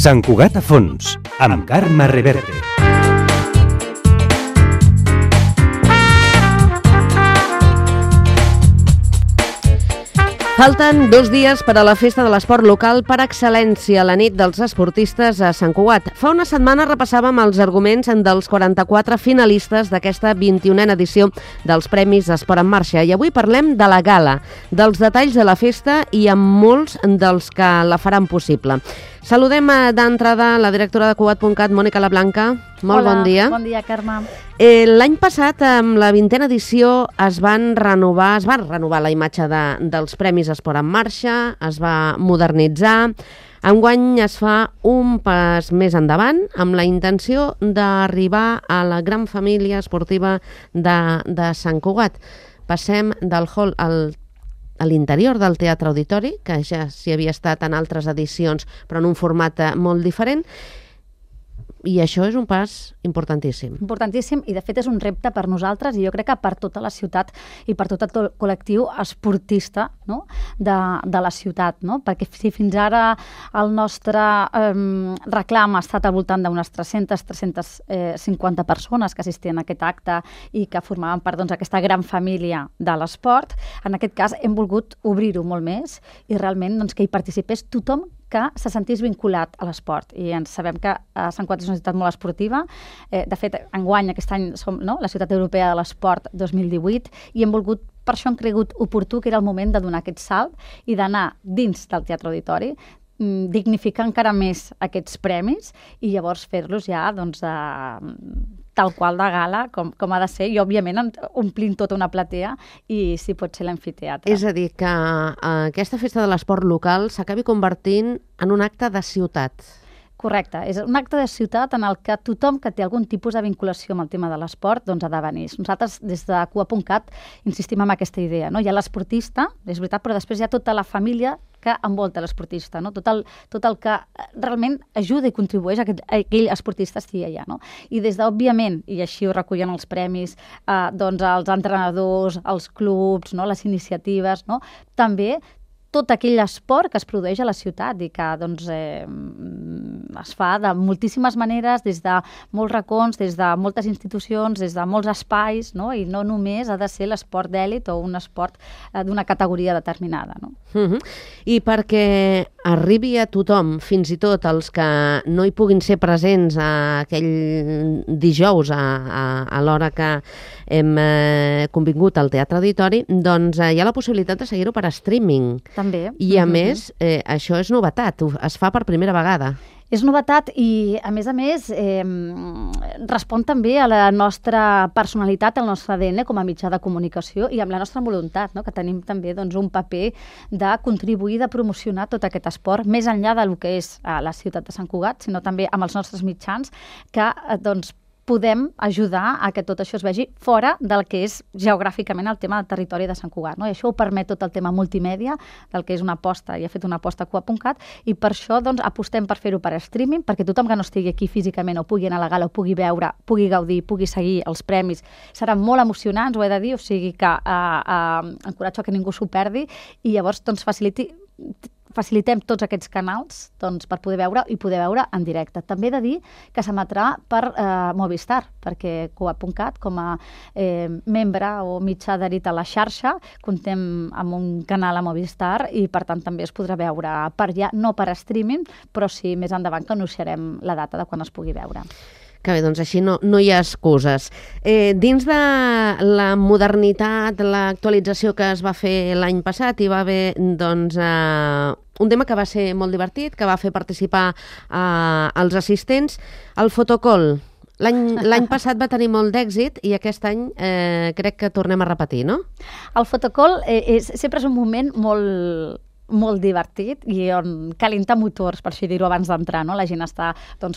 Sant Cugat a fons, amb Carme Reverte. Falten 2 dies per a la festa de l'esport local per excel·lència, la nit dels esportistes a Sant Cugat. Fa una setmana repassàvem els arguments dels 44 finalistes d'aquesta 21a edició dels Premis Esport en Marxa i avui parlem de la gala, dels detalls de la festa i amb molts dels que la faran possible. Saludem d'entrada la directora de Cugat.cat, Mònica Lablanca. Molt bon dia. Bon dia, Carme. L'any passat, amb la 20a edició, es va renovar la imatge dels Premis Esport en Marxa, es va modernitzar. Enguany es fa un pas més endavant amb la intenció d'arribar a la gran família esportiva de Sant Cugat. Passem del hall a l'interior del Teatre Auditori, que ja s'hi havia estat en altres edicions, però en un format molt diferent. I això és un pas importantíssim. Importantíssim i de fet és un repte per nosaltres i jo crec que per tota la ciutat i per tot el col·lectiu esportista, no? de la ciutat, no? Perquè si fins ara el nostre reclam ha estat al voltant d'unes 300-350 persones que assistien a aquest acte i que formaven part d'aquesta gran família de l'esport, en aquest cas hem volgut obrir-ho molt més i realment que hi participés tothom que se sentís vinculat a l'esport. I ens sabem que Sant Cugat és una ciutat molt esportiva. De fet, enguany, aquest any, som la Ciutat Europea de l'Esport 2018 i hem volgut, per això hem cregut oportú que era el moment de donar aquest salt i d'anar dins del Teatre Auditori, dignificar encara més aquests premis i llavors fer-los ja tal qual de gala, com ha de ser, i òbviament omplint tota una platea i si pot ser l'amfiteatre. És a dir, que aquesta festa de l'esport local s'acabi convertint en un acte de ciutat. Correcte, és un acte de ciutat en el que tothom que té algun tipus de vinculació amb el tema de l'esport ha de venir. Nosaltres, des de Cugat.cat, insistim en aquesta idea. No? Hi ha l'esportista, és veritat, però després hi ha tota la família que envolta l'esportista, no? Tot el que realment ajuda i contribueix a que aquell esportista estigui allà. No? I des d'òbviament, i així ho recullen els premis, els entrenadors, els clubs, no? Les iniciatives, no? També tot aquell esport que es produeix a la ciutat i que es fa de moltíssimes maneres, des de molts racons, des de moltes institucions, des de molts espais, no? I no només ha de ser l'esport d'èlit o un esport d'una categoria determinada. No? I perquè arribi a tothom, fins i tot els que no hi puguin ser presents aquell dijous a l'hora que hem convingut al Teatre Auditori, doncs hi ha la possibilitat de seguir-ho per streaming. També. I a més, això és novetat, es fa per primera vegada. És novetat i, a més, respon també a la nostra personalitat, al nostre ADN com a mitjà de comunicació i amb la nostra voluntat, no? Que tenim també un paper de contribuir, de promocionar tot aquest esport, més enllà del que és la ciutat de Sant Cugat, sinó també amb els nostres mitjans que podem ajudar a que tot això es vegi fora del que és geogràficament el tema del territori de Sant Cugat. No? I això ho permet tot el tema multimèdia, del que és una aposta, i ha fet una aposta a Cugat.cat, i per això apostem per fer-ho per streaming, perquè tothom que no estigui aquí físicament o pugui anar a la gala, o pugui veure, pugui gaudir, pugui seguir els premis, seran molt emocionants, ho he de dir, o sigui que encoratjo que ningú s'ho perdi, i llavors facilitem tots aquests canals per poder veure i poder veure en directe. També he de dir que s'emetrà per Movistar, perquè Cugat.cat, com a membre o mitjà adherit a la xarxa, comptem amb un canal a Movistar i, per tant, també es podrà veure per allà, no per streaming, però sí més endavant que anunciarem la data de quan es pugui veure. Que bé, doncs així no hi ha excuses. Dins de la modernitat, l'actualització que es va fer l'any passat, hi va haver un tema que va ser molt divertit, que va fer participar els assistents, el fotocall. L'any passat va tenir molt d'èxit i aquest any crec que tornem a repetir, no? El fotocall sempre és un moment molt divertit i on calienta motors, per així dir-ho, abans d'entrar. No? La gent està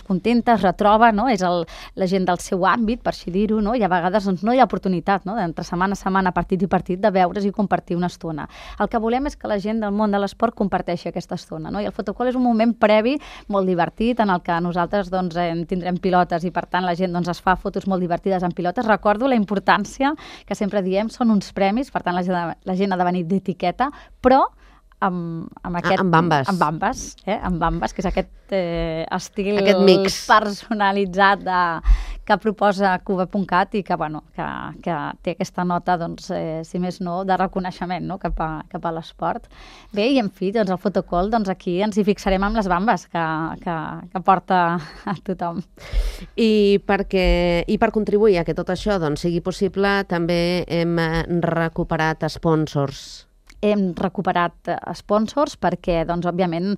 contenta, es retroba, no? És la gent del seu àmbit, per així dir-ho, no? I a vegades no hi ha oportunitat, no? D'entre setmana a setmana, partit i partit, de veure's i compartir una estona. El que volem és que la gent del món de l'esport comparteixi aquesta estona. No? I el fotocall és un moment previ molt divertit en el que nosaltres tindrem pilotes i per tant la gent es fa fotos molt divertides amb pilotes. Recordo la importància que sempre diem, són uns premis, per tant la gent ha de venir d'etiqueta, però amb aquest... Amb bambes. Amb bambes, amb bambes, que és aquest estil aquest mix personalitzat que proposa Cuba.cat i que té aquesta nota, doncs, si més no, de reconeixement, no?, cap a l'esport. Bé, i en fi, doncs el fotocall, doncs aquí ens hi fixarem amb les bambes que porta a tothom. I per contribuir a que tot això sigui possible, també hem recuperat sponsors. Hem recuperat sponsors perquè, doncs, òbviament,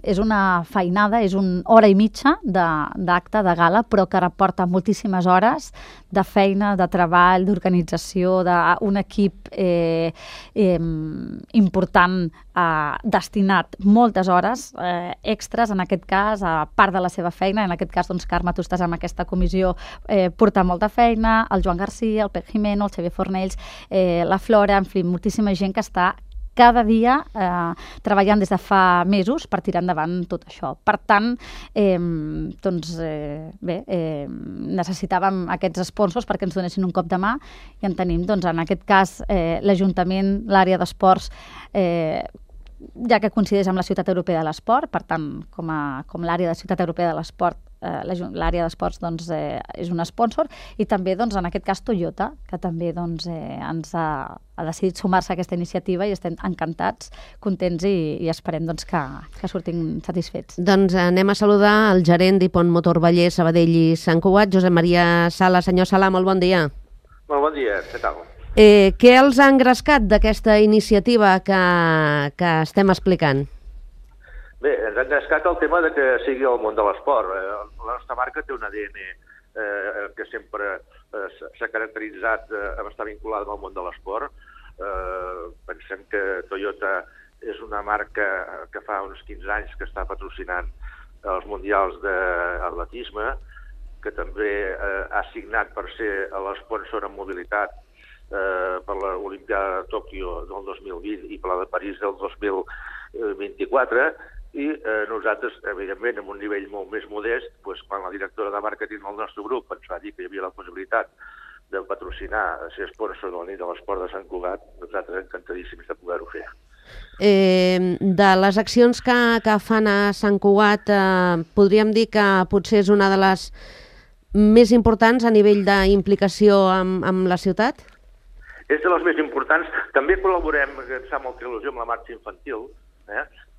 és una feinada, és una hora i mitja d'acte, de gala, però que reporta moltíssimes hores de feina, de treball, d'organització, d'un equip important, destinat moltes hores extres, en aquest cas, a part de la seva feina. En aquest cas, doncs, Carme, tu estàs en aquesta comissió, porta molta feina, el Joan Garcia, el Pep Jimeno, el Xavier Fornells, la Flora, en fi, moltíssima gent que està cada dia treballant des de fa mesos per tirar endavant tot això. Per tant, necessitàvem aquests sponsors perquè ens donessin un cop de mà i en tenim, doncs, en aquest cas, l'Ajuntament, l'àrea d'esports, ja que coincideix amb la Ciutat Europea de l'Esport, per tant, com l'àrea de Ciutat Europea de l'Esport, l'àrea d'esports, doncs, és un sponsor, i també, doncs, en aquest cas, Toyota, que també, doncs, ens ha decidit sumar-se a aquesta iniciativa i estem encantats, contents i esperem, doncs, que sortim satisfets. Doncs anem a saludar el gerent d'Hipon Motor Vallès, Sabadell i Sant Cugat, Josep Maria Sala. Senyor Sala, molt bon dia. Molt bon dia, què tal? Què els ha engrescat d'aquesta iniciativa que estem explicant? Bé, ens ha engrescat el tema de que sigui el món de l'esport. La nostra marca té un ADN que sempre s'ha caracteritzat amb estar vinculada al món de l'esport. Pensem que Toyota és una marca que fa uns 15 anys que està patrocinant els mundials d'atletisme, que també ha signat per ser l'esponsor en mobilitat per l'Olimpiada de Tòquio del 2020 i per la de París del 2024, i nosaltres, evidentment, amb un nivell molt més modest, quan la directora de màrqueting del nostre grup ens va dir que hi havia la possibilitat de patrocinar, ser sponsor de la nit de l'esport de Sant Cugat, nosaltres encantadíssims de poder-ho fer. De les accions que fan a Sant Cugat, podríem dir que potser és una de les més importants a nivell d'implicació amb la ciutat? És de les més importants. També col·laborem, que em fa molta il·lusió, amb la marxa infantil,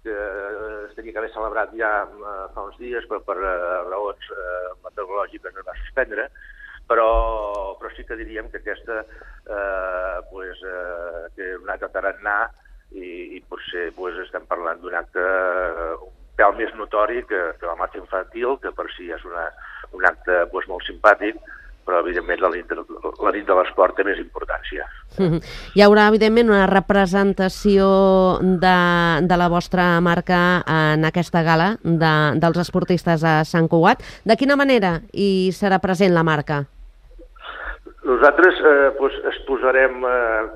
que es tenia que haver celebrat ja fa uns dies, però per raons meteorològiques es va suspendre, però sí que diríem que aquesta té un acte tarannà i potser estem parlant d'un acte un pèl més notori que la marxa infantil, que per si és un acte molt simpàtic, però evidentment la nit de l'esport té més importància. Hi haurà, evidentment, una representació de la vostra marca en aquesta gala dels esportistes a Sant Cugat. De quina manera hi serà present la marca? Nosaltres exposarem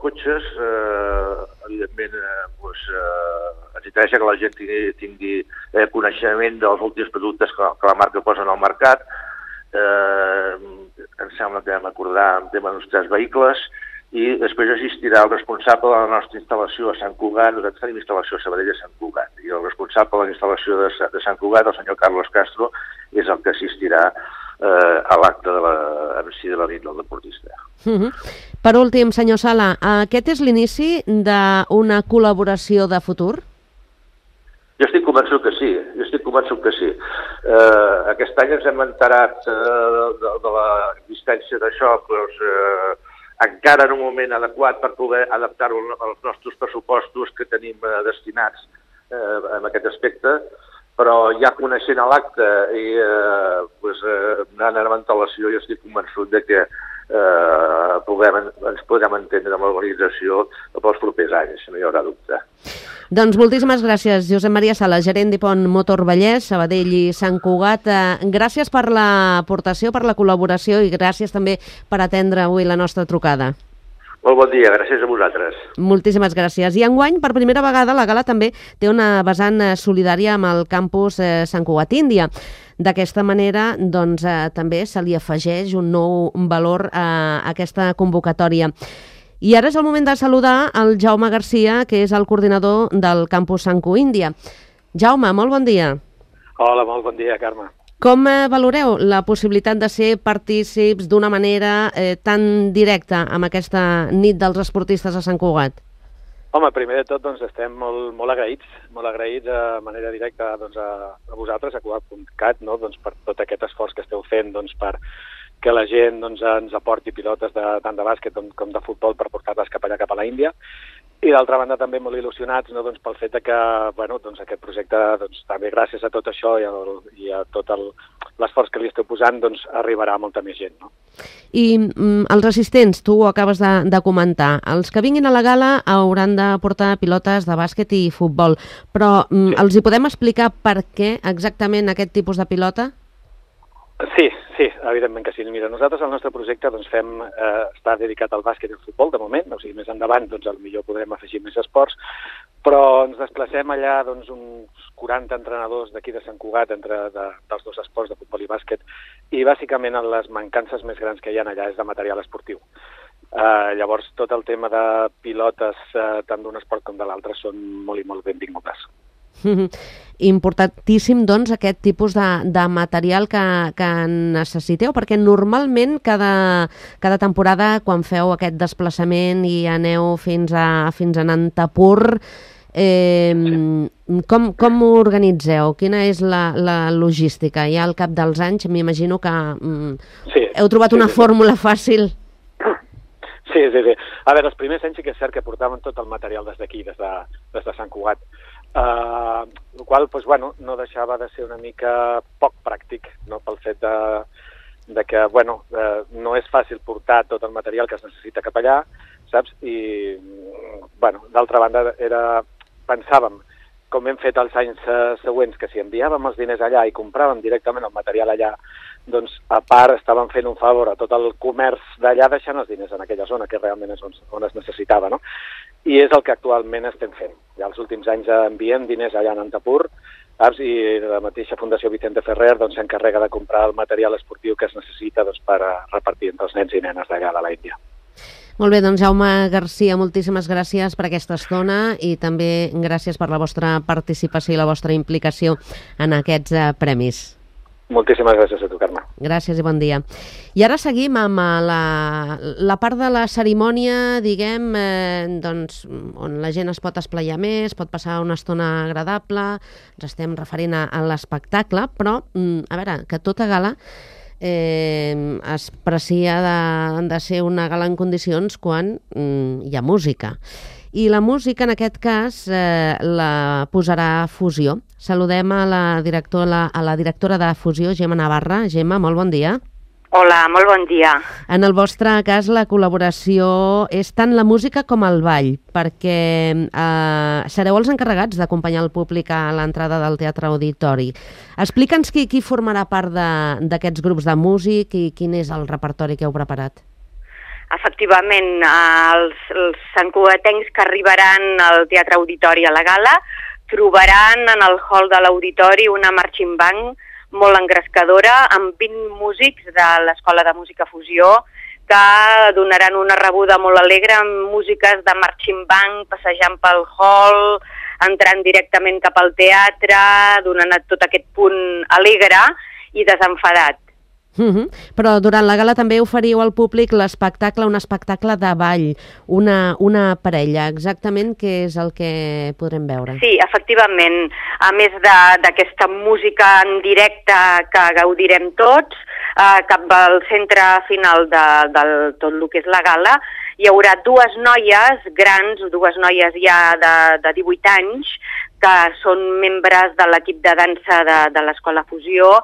cotxes, evidentment ens interessa que la gent tingui coneixement dels últims productes que la marca posa en el mercat. Em sembla que vam acordar un tema d'uns 3 vehicles i després assistirà el responsable de la nostra instal·lació a Sant Cugat. Nosaltres tenim instal·lació a Sabadell a Sant Cugat, i el responsable de la instal·lació de Sant Cugat, el senyor Carlos Castro, és el que assistirà a l'acte en si de la nit del deportista. Per últim, senyor Sala, aquest és l'inici d'una col·laboració de futur? Jo estic convençut que sí. Aquest any ens hem enterat de l'existència d'això, encara en un moment adequat per poder adaptar-ho als nostres pressupostos que tenim destinats en aquest aspecte, però ja coneixent l'acte i anant amb antelació, jo estic convençut que ens podrem entendre amb l'organització pels propers anys, no hi haurà dubte. Doncs moltíssimes gràcies, Josep Maria Sala, gerent d'Hipon Motor Vallès, Sabadell i Sant Cugat. Gràcies per l'aportació, per la col·laboració i gràcies també per atendre avui la nostra trucada. Molt bon dia, gràcies a vosaltres. Moltíssimes gràcies. I enguany, per primera vegada, la gala també té una vessant solidària amb el campus Sant Cugat Índia. D'aquesta manera, doncs, també se li afegeix un nou valor a aquesta convocatòria. I ara és el moment de saludar el Jaume Garcia, que és el coordinador del campus Sanku Índia. Jaume, molt bon dia. Hola, molt bon dia, Carme. Com valoreu la possibilitat de ser partícips d'una manera tan directa amb aquesta nit dels esportistes a Sant Cugat? Home, primer de tot estem molt agraïts de manera directa a vosaltres, a Cugat.cat, per tot aquest esforç que esteu fent per que la gent ens aporti pilotes tant de bàsquet com de futbol per portar-les cap allà, cap a la Índia. I d'altra banda també molt il·lusionats pel fet que aquest projecte, també gràcies a tot això i a tot l'esforç que li esteu posant, arribarà a molta més gent. No? I els assistents, tu ho acabes de comentar, els que vinguin a la gala hauran de portar pilotes de bàsquet i futbol, però els hi podem explicar per què exactament aquest tipus de pilota? Sí, evidentment que sí. Mira, nosaltres el nostre projecte està dedicat al bàsquet i al futbol de moment, o sigui, més endavant potser podrem afegir més esports, però ens desplacem allà uns 40 entrenadors d'aquí de Sant Cugat dels dos esports de futbol i bàsquet, i bàsicament les mancances més grans que hi ha allà és de material esportiu. Llavors tot el tema de pilotes tant d'un esport com de l'altre són molt i molt benvingudes. Importantíssim, aquest tipus de material que necessiteu, perquè normalment cada temporada, quan feu aquest desplaçament i aneu fins a Nantapur, com ho organitzeu? Quina és la logística? Ja al cap dels anys m'imagino que heu trobat una fórmula fàcil. Sí. A veure, els primers anys sí que és cert que portaven tot el material des d'aquí, des de Sant Cugat. El qual no deixava de ser una mica poc pràctic, pel fet de que no és fàcil portar tot el material que es necessita cap allà, saps? I d'altra banda pensàvem, com hem fet els anys següents, que si enviàvem els diners allà i compràvem directament el material allà, a part estàvem fent un favor a tot el comerç d'allà deixant els diners en aquella zona, que realment és on es necessitava, no? I és el que actualment estem fent. Ja els últims anys enviem diners allà a Nantapur, i la mateixa Fundació Vicente Ferrer s'encarrega de comprar el material esportiu que es necessita per repartir entre els nens i nenes d'allà de la Índia. Molt bé, Jaume Garcia, moltíssimes gràcies per aquesta estona i també gràcies per la vostra participació i la vostra implicació en aquests premis. Moltíssimes gràcies a tu, Carme. Gràcies i bon dia. I ara seguim amb la part de la cerimònia, diguem, on la gent es pot esplaiar més, pot passar una estona agradable, ens estem referint a l'espectacle, però, a veure, que tota gala es precia de ser una gala en condicions quan hi ha música. I la música, en aquest cas, la posarà Fusió. Saludem a la directora de Fusió, Gemma Navarra. Gemma, molt bon dia. Hola, molt bon dia. En el vostre cas, la col·laboració és tant la música com el ball, perquè sereu els encarregats d'acompanyar el públic a l'entrada del Teatre Auditori. Explica'ns qui formarà part d'aquests grups de músic i quin és el repertori que heu preparat. Efectivament, els santcugatencs que arribaran al Teatre Auditori a la gala trobaran en el hall de l'Auditori una marching band molt engrescadora amb 20 músics de l'Escola de Música Fusió que donaran una rebuda molt alegre amb músiques de marching band passejant pel hall, entrant directament cap al teatre, donant tot aquest punt alegre i desenfadat. Però durant la gala també oferiu al públic l'espectacle, un espectacle de ball, una parella. Exactament què és el que podrem veure? Sí, efectivament. A més d'aquesta música en directe que gaudirem tots, cap al centre final de tot el que és la gala, hi haurà dues noies grans, dues noies ja de 18 anys, que són membres de l'equip de dansa de l'Escola Fusió,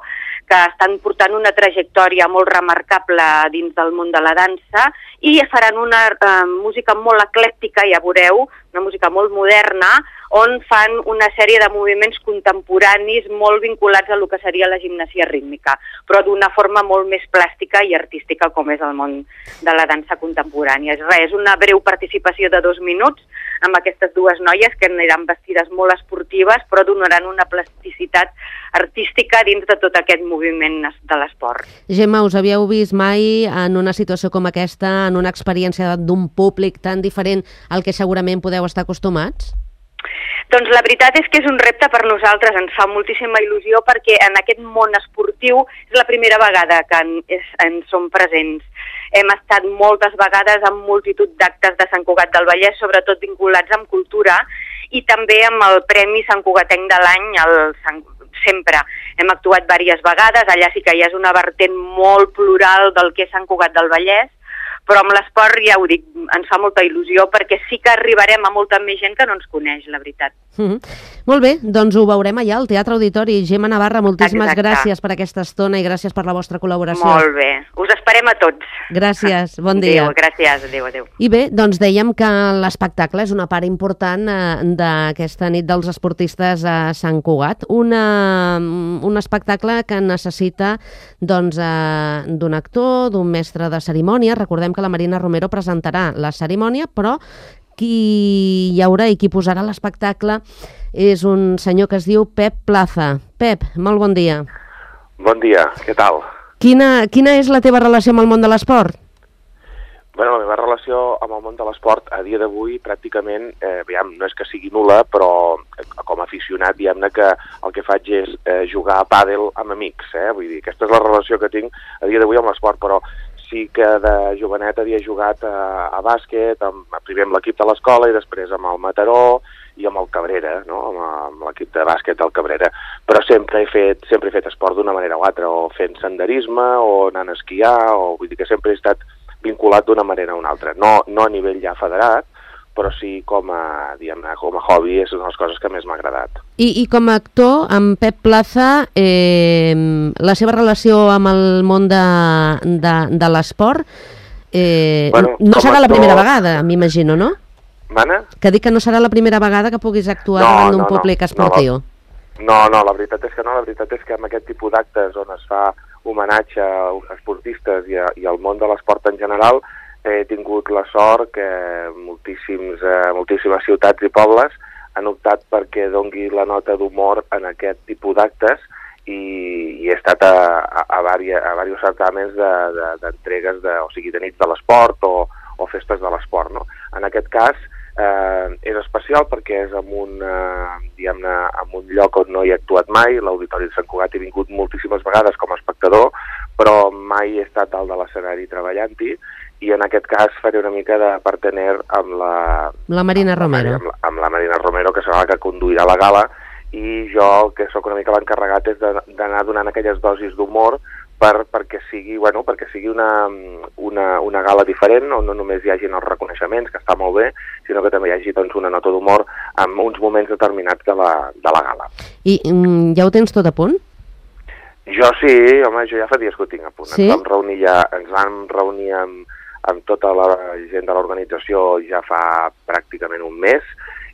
que estan portant una trajectòria molt remarcable dins del món de la dansa i faran una música molt eclèctica, ja veureu, una música molt moderna, on fan una sèrie de moviments contemporanis molt vinculats a lo que seria la gimnasia rítmica, però d'una forma molt més plàstica i artística com és el món de la dansa contemporània. És una breu participació de 2 minuts amb aquestes dues noies que aniran vestides molt esportives però donaran una plasticitat artística dins de tot aquest moviment de l'esport. Gemma, us havíeu vist mai en una situació com aquesta, en una experiència d'un públic tan diferent al que segurament podeu estar acostumats? Doncs la veritat és que és un repte per nosaltres, ens fa moltíssima il·lusió perquè en aquest món esportiu és la primera vegada que en som presents. Hem estat moltes vegades en multitud d'actes de Sant Cugat del Vallès, sobretot vinculats amb cultura, i també amb el Premi Sant Cugatenc de l'any, sempre. Hem actuat diverses vegades, allà sí que ja és una vertent molt plural del que és Sant Cugat del Vallès, però amb l'esport, ja ho dic, ens fa molta il·lusió perquè sí que arribarem a molta més gent que no ens coneix, la veritat. Molt bé, doncs ho veurem allà al Teatre Auditori. Gemma Navarra, moltíssimes gràcies per aquesta estona i gràcies per la vostra col·laboració. Molt bé, us esperem a tots. Gràcies, bon dia. Adéu, gràcies, adéu. I bé, doncs dèiem que l'espectacle és una part important d'aquesta nit dels esportistes a Sant Cugat. Un espectacle que necessita doncs, d'un actor, d'un mestre de cerimònia. Recordem que la Marina Romero presentarà la cerimònia, però qui hi haurà i qui posarà l'espectacle és un senyor que es diu Pep Plaza. Pep, molt bon dia. Bon dia, què tal? Quina és la teva relació amb el món de l'esport? Bueno, la meva relació amb el món de l'esport a dia d'avui pràcticament, no és que sigui nul·la, però com a aficionat, diguem-ne que el que faig és jugar a pàdel amb amics, Vull dir, aquesta és la relació que tinc a dia d'avui amb l'esport, però sí que de jovenet havia jugat a bàsquet, primer amb l'equip de l'escola i després amb el Mataró i amb el Cabrera, no? Amb l'equip de bàsquet del Cabrera. Però sempre he fet esport d'una manera o altra, o fent senderisme, o anant a esquiar, vull dir que sempre he estat vinculat d'una manera o una altra. No a nivell ja federat, però sí com a hobby, és una de les coses que més m'ha agradat. I com a actor, amb Pep Plaza, la seva relació amb el món de l'esport no serà la primera vegada, m'imagino, no? Mana? Que dic que no serà la primera vegada que puguis actuar davant d'un públic esportiu. No, la veritat és que no. La veritat és que amb aquest tipus d'actes on es fa homenatge als esportistes i al món de l'esport en general, he tingut la sort que moltíssimes ciutats i pobles han optat perquè dongui la nota d'humor en aquest tipus d'actes i he estat a diversos certàmens d'entregues, o sigui, de nits de l'esport o festes de l'esport, no? En aquest cas és especial perquè és en un lloc on no hi he actuat mai. L'Auditori de Sant Cugat he vingut moltíssimes vegades com a espectador, però mai he estat dalt de l'escenari treballant-hi, i en aquest cas faré una mica de partener amb la Marina Romero. Amb la Marina Romero, que serà la que conduirà la gala, i jo, el que sóc una mica l'encarregat, és d'anar donant aquelles dosis d'humor perquè sigui una gala diferent, on no només hi hagi els reconeixements, que està molt bé, sinó que també hi hagi una nota d'humor en uns moments determinats de la gala. I ja ho tens tot a punt? Jo sí, home, jo ja fa dies que ho tinc a punt. Sí? Ens vam reunir amb tota la gent de l'organització ja fa pràcticament un mes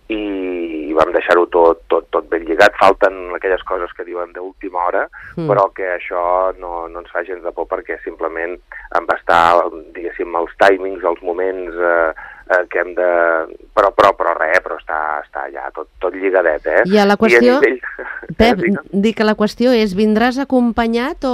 i vam deixar-ho tot ben lligat. Falten aquelles coses que diuen d'última hora, però que això no ens fa gens de por perquè simplement em va estar, diguéssim, els timings, els moments que hem de... Però està ja tot lligadet, I a la qüestió, Pep, dic que la qüestió és, vindràs acompanyat o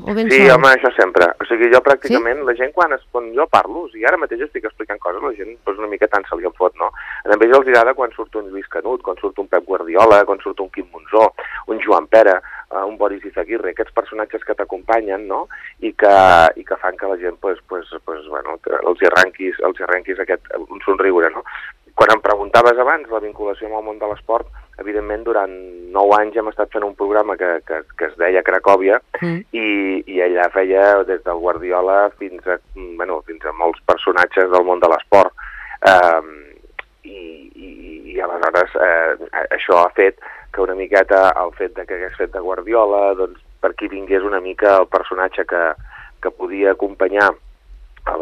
ben sol? Sí, home, això sempre. O sigui, jo pràcticament, la gent quan jo parlo, o sigui, ara mateix estic explicant coses, la gent una mica tant se li en fot, no? A ells els agrada quan surt un Lluís Canut, quan surt un Pep Guardiola, quan surt un Quim Monzó, un Joan Pera, un Boris Izaguirre, aquests personatges que t'acompanyen, no? I que fan que la gent, bueno, els arrenquis un somriure, no? Quan em preguntaves abans la vinculació amb el món de l'esport, evidentment durant 9 anys hem estat fent un programa que es deia Cracòvia i ella feia des del Guardiola fins a molts personatges del món de l'esport. I aleshores això ha fet que una miqueta el fet que hagués fet de Guardiola, doncs per aquí vingués una mica el personatge que podia acompanyar a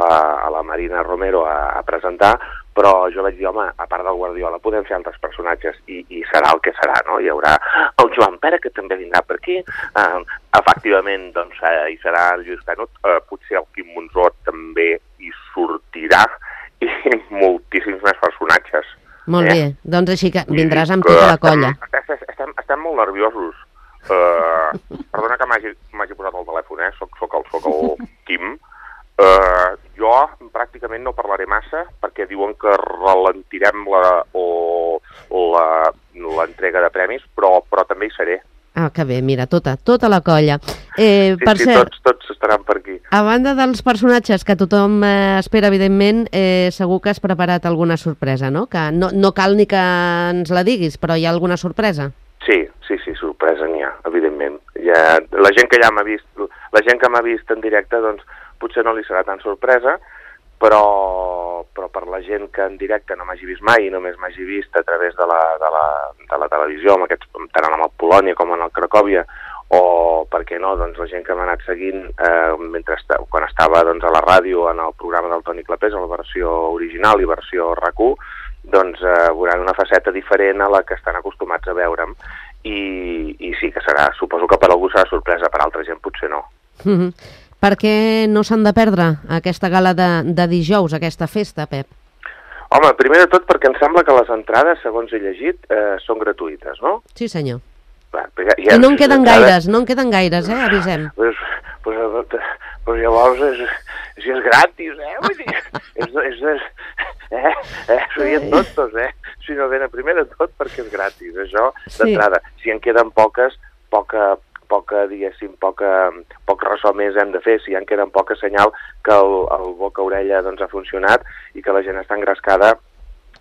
la Marina Romero a presentar, però jo vaig dir, home, a part del Guardiola podem fer altres personatges i serà el que serà, no? Hi haurà el Joan Pera, que també vindrà per aquí, efectivament, doncs, hi serà el Lluís Canut, potser el Quim Monzó també hi sortirà, i moltíssims més personatges. Molt bé, doncs així que vindràs amb tota la colla. Estem molt nerviosos. Perdona que m'hagi posat el telèfon, soc el Quim. Jo pràcticament no parlaré massa perquè diuen que ralentirem l'entrega de premis, però també hi seré. Ah, que bé, mira, tota la colla. Sí, tots estaran per aquí. A banda dels personatges que tothom espera, evidentment, segur que has preparat alguna sorpresa, no? Que no cal ni que ens la diguis, però hi ha alguna sorpresa? Sí, sorpresa n'hi ha, evidentment. La gent que ja m'ha vist, la gent que m'ha vist en directe, doncs potser no li serà tan sorpresa, però per la gent que en directe no m'hagi vist mai i només m'hagi vist a través de la televisió, tant en el Polònia com en el Cracòvia, o, per què no, doncs la gent que m'ha anat seguint quan estava doncs, a la ràdio en el programa del Toni Clapés, a la versió original i versió RAC1, doncs veuran una faceta diferent a la que estan acostumats a veure'm, i sí que serà, suposo que per algú serà sorpresa, per altra gent potser no. Per què no s'han de perdre aquesta gala de dijous, aquesta festa, Pep? Home, primer de tot perquè em sembla que les entrades, segons he llegit, són gratuïtes, no? Sí, senyor. I no en queden gaires, avisem. Pues llavors, si és gratis, vull dir, serien tontos, si no venen primer de tot perquè és gratis, això d'entrada. Si en queden poques, poc ressò més hem de fer. Si en queden poques, senyal que el boca-orella doncs, ha funcionat i que la gent està engrescada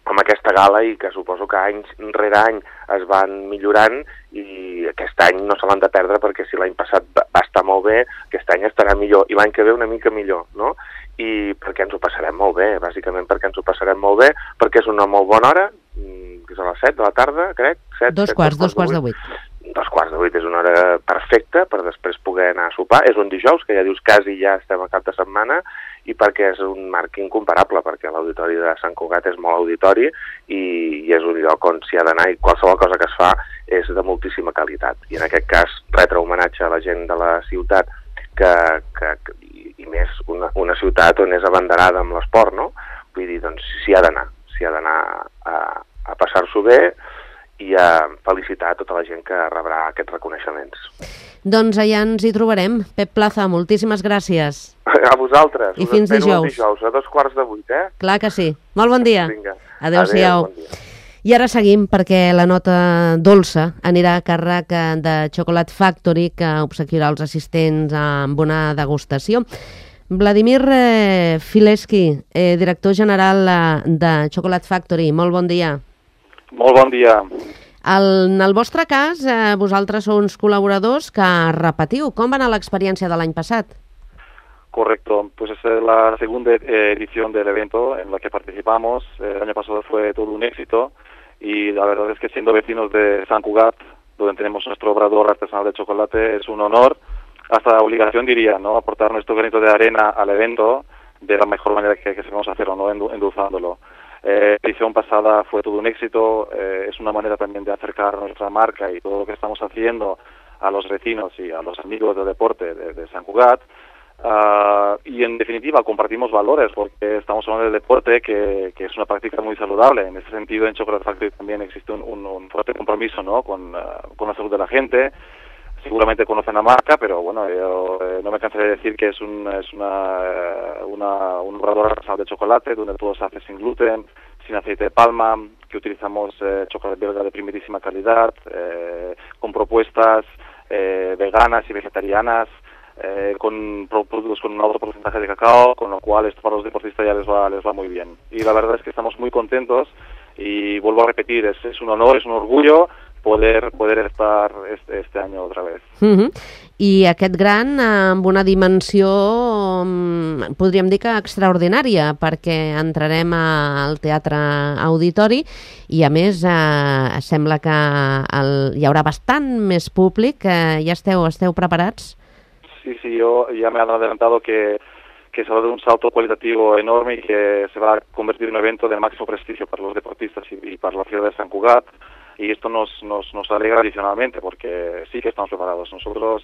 amb aquesta gala i que suposo que any rere any es van millorant i aquest any no se l'han de perdre perquè si l'any passat va estar molt bé, aquest any estarà millor i l'any que ve una mica millor, no? I perquè ens ho passarem molt bé, bàsicament perquè ens ho passarem molt bé, perquè és una molt bona hora, que és a les 7 de la tarda, crec. 2 quarts de 8. 2 quarts de 8 és una hora perfecta per després poder anar a sopar. És un dijous, que ja dius quasi ja estem a cap de setmana, i perquè és un marc incomparable, perquè l'auditori de Sant Cugat és molt auditori i és un lloc on s'hi ha d'anar i qualsevol cosa que es fa és de moltíssima qualitat. I en aquest cas, retre homenatge a la gent de la ciutat i més una ciutat on és abanderada amb l'esport, no? Vull dir, doncs s'hi ha d'anar a passar-s'ho bé i a felicitar a tota la gent que rebrà aquests reconeixements. Doncs allà ens hi trobarem. Pep Plaza, moltíssimes gràcies. A vosaltres. I fins dijous. A 2 quarts de 8, Clar que sí. Molt bon dia. Vinga. Adéu-siau. Bon dia. I ara seguim perquè la nota dolça anirà a càrrec de Chocolate Factory, que obsequiarà els assistents amb una degustació. Vladimir Fileski, director general de Chocolate Factory, molt bon dia. Molt bon dia. En el vostre cas, vosaltres sou uns col·laboradors que repetiu. Com va anar l'experiència de l'any passat? Correcto, pues es la segunda edición del evento en la que participamos. El año pasado fue todo un éxito y la verdad es que siendo vecinos de Sant Cugat, donde tenemos nuestro obrador artesanal de chocolate, es un honor, hasta obligación diría, ¿no? Aportar nuestro granito de arena al evento de la mejor manera que sabemos hacerlo, ¿no? Endulzándolo. La edición pasada fue todo un éxito, es una manera también de acercar nuestra marca y todo lo que estamos haciendo a los vecinos y a los amigos del deporte de Sant Cugat. Y en definitiva compartimos valores porque estamos hablando del deporte que es una práctica muy saludable. En ese sentido en Chocolate Factory también existe un fuerte compromiso, ¿no? con la salud de la gente. Seguramente conocen la marca, pero bueno, yo no me cansaré de decir que es un obrador artesanal de chocolate donde todo se hace sin gluten, sin aceite de palma, que utilizamos chocolate belga de primerísima calidad, con propuestas veganas y vegetarianas, con productos con un alto porcentaje de cacao, con lo cual esto para los deportistas ya les va muy bien. Y la verdad es que estamos muy contentos y vuelvo a repetir, es un honor, es un orgullo poder estar este año otra vez. I aquest gran amb una dimensió, podríem dir que extraordinària, perquè entrarem al Teatre Auditori i a més sembla que hi haurà bastant més públic. Ja esteu preparats? Sí, yo ya me han adelantado que se va a dar un salto cualitativo enorme y que se va a convertir en un evento de máximo prestigio para los deportistas y para la ciudad de Sant Cugat. Y esto nos alegra adicionalmente porque sí que estamos preparados. Nosotros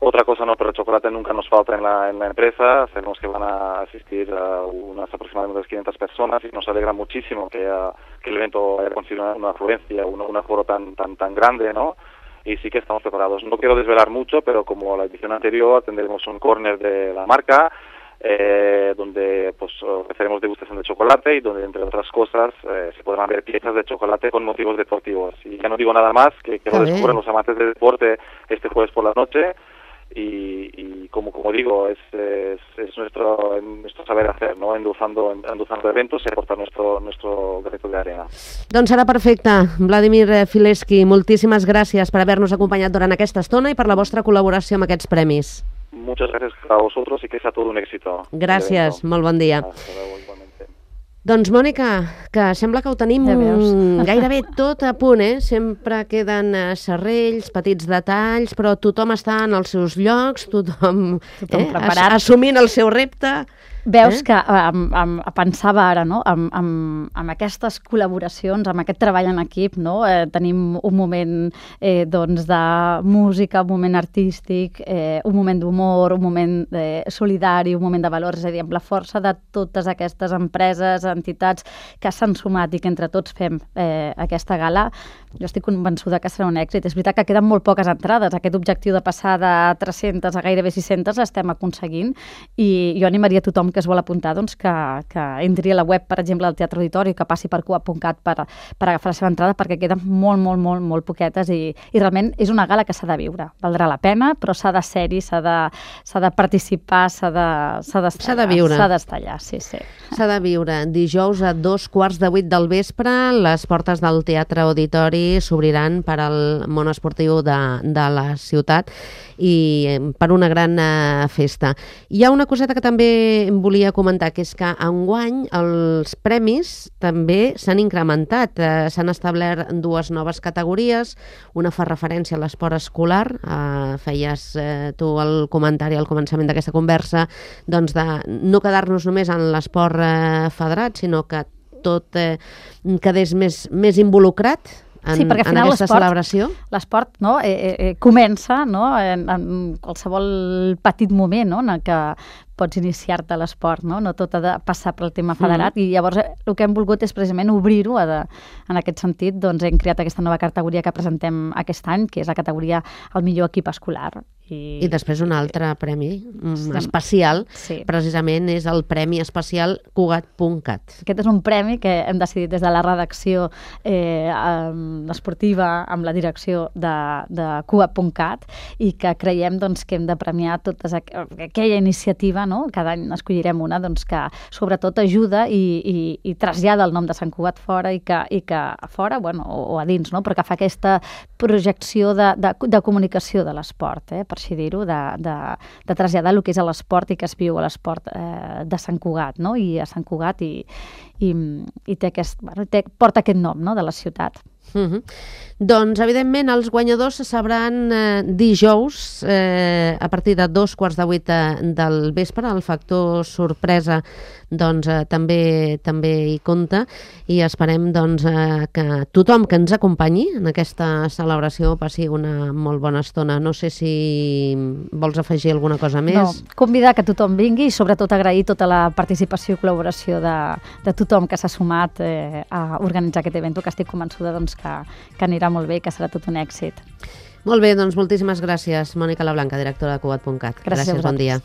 Otra cosa no, pero chocolate nunca nos falta en la empresa. Sabemos que van a asistir unas aproximadamente 500 personas y nos alegra muchísimo que el evento haya conseguido una afluencia, un aforo tan grande, ¿no? Y sí que estamos preparados. No quiero desvelar mucho, pero como la edición anterior tendremos un corner de la marca, donde pues ofreceremos degustación de chocolate y donde, entre otras cosas, se podrán ver piezas de chocolate con motivos deportivos. Y ya no digo nada más, que lo descubran los amantes del deporte este jueves por la noche. Y como digo, es nuestro saber hacer, ¿no? Endulzando eventos y aportar nuestro granito de arena. Doncs serà perfecte. Vladimir Fileski, moltíssimes gràcies per haver-nos acompanyat durant aquesta estona i per la vostra col·laboració amb aquests premis. Muchas gracias a vosotros y que sea todo un éxito. Gràcies, molt bon dia. Hasta luego, igualmente. Doncs, Mònica, que sembla que ho tenim gairebé tot a punt, eh? Sempre queden serrells, petits detalls, però tothom està en els seus llocs, tothom preparat. Assumint el seu repte. Veus que pensava ara, no?, amb aquestes col·laboracions, amb aquest treball en equip, no? Tenim un moment doncs de música, un moment artístic, un moment d'humor, un moment solidari, un moment de valors, és a dir, amb la força de totes aquestes empreses, entitats que s'han sumat i que entre tots fem aquesta gala, jo estic convençuda que serà un èxit. És veritat que queden molt poques entrades. Aquest objectiu de passar de 300 a gairebé 600 l'estem aconseguint i jo animaria a tothom que es vol apuntar doncs, que entri a la web, per exemple, del Teatre Auditori, que passi per coop.cat per agafar la seva entrada, perquè queden molt poquetes i realment és una gala que s'ha de viure. Valdrà la pena, però s'ha de ser-hi, s'ha de participar, s'ha de viure. S'ha d'estar allà, sí. S'ha de viure. Dijous a 7:15 del vespre, les portes del Teatre Auditori s'obriran per al món esportiu de la ciutat i per una gran festa. Hi ha una coseta que també volia comentar, que és que enguany els premis també s'han incrementat. S'han establert 2 noves categories. Una fa referència a l'esport escolar. Feies tu el comentari al començament d'aquesta conversa, doncs de no quedar-nos només en l'esport federat, sinó que tot quedés més involucrat en aquesta celebració. L'esport comença en qualsevol petit moment en el que pots iniciar-te a l'esport, no tot ha de passar pel tema federat i llavors el que hem volgut és precisament obrir-ho en aquest sentit, doncs hem creat aquesta nova categoria que presentem aquest any, que és la categoria el millor equip escolar. I després un altre premi especial, precisament és el Premi Especial Cugat.cat. Aquest és un premi que hem decidit des de la redacció esportiva amb la direcció de Cugat.cat i que creiem que hem de premiar tota aquella iniciativa, no? Cada any escollirem una que sobretot ajuda i trasllada el nom de Sant Cugat fora i que a fora, o a dins, però que fa aquesta projecció de comunicació de l'esport, per així dir-ho, de traslladar el que és l'esport i que es viu a l'esport de Sant Cugat, i a Sant Cugat i porta aquest nom de la ciutat. Doncs, evidentment, els guanyadors se sabran dijous a partir de 7:15 del vespre. El factor sorpresa també hi compta i esperem que tothom que ens acompanyi en aquesta celebració passi una molt bona estona. No sé si vols afegir alguna cosa més. No, convidar que tothom vingui i sobretot agrair tota la participació i col·laboració de tothom que s'ha sumat a organitzar aquest event, que estic convençuda que anirà molt bé i que serà tot un èxit. Molt bé, doncs moltíssimes gràcies, Mònica Lablanca, directora de Cugat.cat. Gràcies, bon dia.